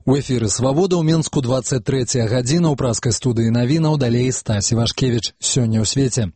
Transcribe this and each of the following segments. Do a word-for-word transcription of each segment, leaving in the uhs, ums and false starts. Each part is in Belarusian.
У эфіры «Свабода» ў Мінску двадцать третья гадзіна ў праскай студыі навінаў, далей Стась Івашкевіч. Сёння ў свеце.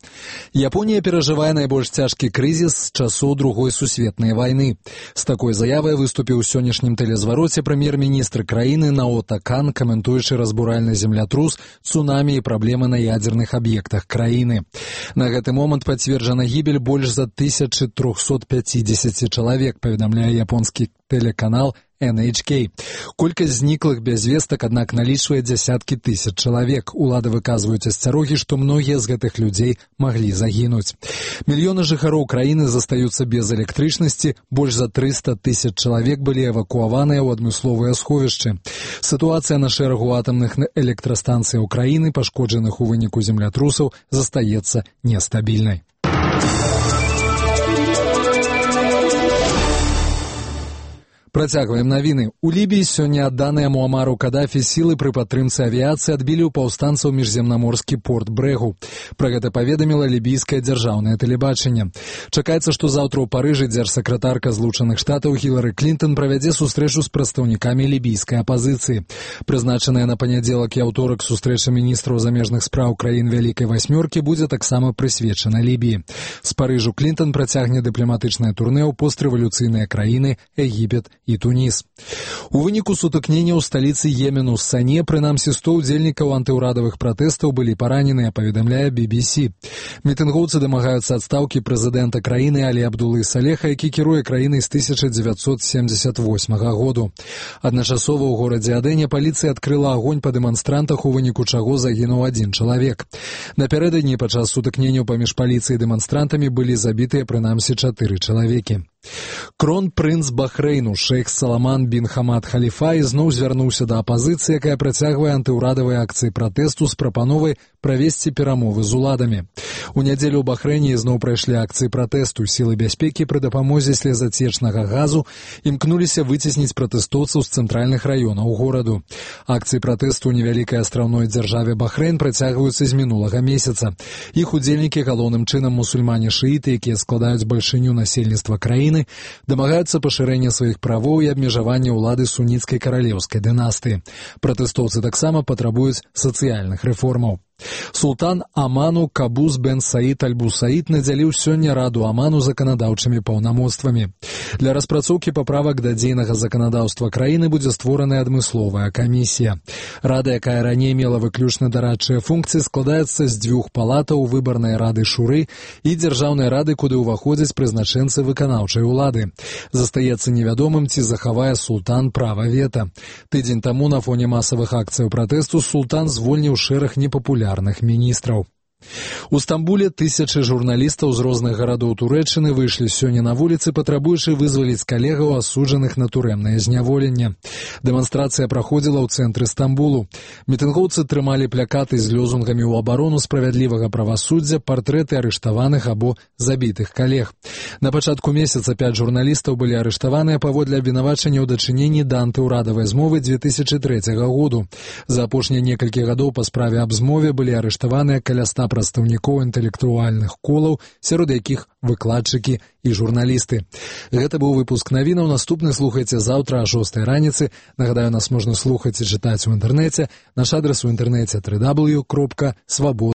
Японія перажывае найбольш цяжкі крызіс з часоў Другой сусветнай вайны. З такой заявай выступіў у сённяшнім тэлезвароце прэм'ер-міністр краіны Наото Кан, каментуючы разбуральны землятрус, цунамі і праблемы на ядзерных аб'ектах краіны. На гэты момант пацверджана гібель больш за тысяча триста пятьдесят чалавек, паведамляе японскі тэлеканал эн эйч кей. Колькасць зніклых без вестак, аднак, налічвае дзясяткі тысяч чалавек. Улады выказваюць асцярогі, што многія з гэтых людзей маглі загінуць. Мільёны жыхароў краіны застаюцца без электрычнасці, больш за трыста тысяч чалавек былі эвакуаваныя ў адмысловыя сховішчы. Сітуацыя на шэрагу атамных электрастанцыяў краіны, пашкоджаных у выніку землятрусаў, застаецца нестабільнай. Працягваем навіны. У Лібіі сёння адданыя Муамару Кадафі сілы пры падтрымцы авіяцыі адбілі ў паўстанцаў міжземнаморскі порт Брэгу. Пра гэта паведаміла лібійскае дзяржаўнае тэлебачанне. Чакаецца, што заўтра ў Парыжы дзяржсакратарка Злучаных Штатаў Хілары Клінтон правядзе сустрэчу з прадстаўнікамі лібійскай апазіцыі. Прызначаная на панядзелак і аўторак сустрэча міністраў замежных спраў краін Вялікай Васьмёркі будзе таксама прысвечана Лібіі. З Парыжу Клінтон працягне дыпламатычнае турнэ ў пострэвалюцыйныя краіны Егіпет і Туніс. У выніку сутыкнення ў сталіцы Йемену з Сане прынамсі сто ўдзельнікаў антыўрадавых пратэстаў былі параненыя, паведамляе би би си. Мітынгоўцы дамагаюцца адстаўкі прэзідэнта краіны Алі Абдулы Салеха, які кіруе краінай з тысяча дзевяцьсот семьдесят восьмага году. Адначасова ў горадзе Адене паліцыя адкрыла агонь па дэманстрантах, у выніку чаго загінуў адзін чалавек. Напярэдадні падчас сутыкненняў паміж паліцыяй і дэманстрантамі былі забітыя прынамсі чатыры чалавекі. Крон-прынц Бахрэйну шэйх Саламан бін Хамад Халіфа ізноў звярнуўся да апазіцыі, якая працягвае антыўрадавыя акцыі пратэсту з прапановай правесці перамовы з уладамі. У нядзелю ў Бахрэйне ізноў прайшлі акцыі пратэсту. Сілы бяспекі пры дапамозе слезацечнага газу імкнуліся выцесніць пратэстоўцаў з цэнтральных раёнаў гораду. Акцыі пратэсту ў невялікай астраўной дзяржаве Бахрэйн працягваюцца з мінулага месяца. Іх удзельнікі, галоўным чынам мусульмане-шыіты, якія складаюць бальшыню насельніцтва краіны, дамагаюцца пашырэння сваіх правоў і абмежавання ўлады суніцкай каралеўскай дынастыі. Пратэстоўцы таксама патрабуюць сацыяльных рэформаў. Султан Аману Кабус бен Саид Аль-Бусаид надзяліў сёння Раду Аману заканадаўчымі паўнамоцтвамі. Для распрацоўкі паправак да дзейнага заканадаўства краіны будзе створаная адмысловая камісія. Рада, якая раней мела выключна дарадчыя функцыі, складаецца з дзвюх палатаў, выбарнай рады шуры і дзяржаўнай рады, куды ўваходзяць прызначэнцы выканаўчай улады. Застаецца невядомым, ці захавае султан права вета. Тыдзень таму на фоне масавых акцыяў пратэсту султан звольніў шэраг непапулярных міністраў. У Стамбуле тысячы журналістаў з розных гарадоў Турэччыны выйшлі сёння на вуліцы, патрабуючы вызваліць калегаў, асуджаных на турэмнае зняволенне. Дэманстрацыя праходзіла ў цэнтры Стамбулу. Мітынгоўцы трымалі плякаты з лёзунгамі ў абарону справядлівага правасуддзя, партрэты арыштаваных або забітых калег. На пачатку месяца пяць журналістаў былі арыштаваныя паводле абвінавачання ў дачыненні да антыўрадавай змовы дзве тысячы трэцяга году. За апошнія некалькі гадоў па справе аб змове былі арыштаваныя каля ста прадстаўнікоў інтэлектуальных колаў, сярод якіх выкладчыкі і журналісты. Гэта быў выпуск навінаў. Наступны слухайце заўтра о шостай раніцы. Нагадаю, нас можна слухаць і чытаць у інтэрнэце. Наш адрас у інтэрнэце дабл ю дабл ю дабл ю кропка свабода.